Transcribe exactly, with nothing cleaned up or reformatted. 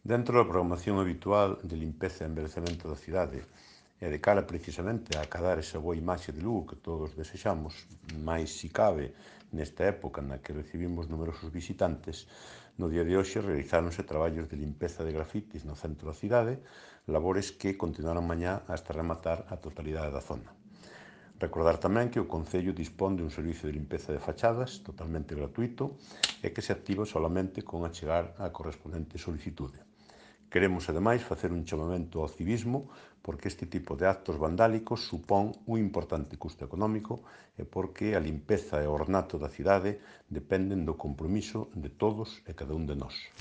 Dentro da programación habitual de limpeza e envellecemento da cidade e de cara precisamente a acadar esa boa imaxe de Lugo que todos desexamos, máis si cabe nesta época na que recibimos numerosos visitantes, no día de hoxe realizáronse traballos de limpeza de grafitis no centro da cidade, labores que continuarán mañá hasta rematar a totalidade da zona. Recordar tamén que o Concello dispón de un servicio de limpeza de fachadas totalmente gratuito e que se activa solamente con achegar a correspondente solicitude. Queremos, ademais, facer un chamamento ao civismo porque este tipo de actos vandálicos supón un importante custo económico e porque a limpeza e o ornato da cidade dependen do compromiso de todos e cada un de nós.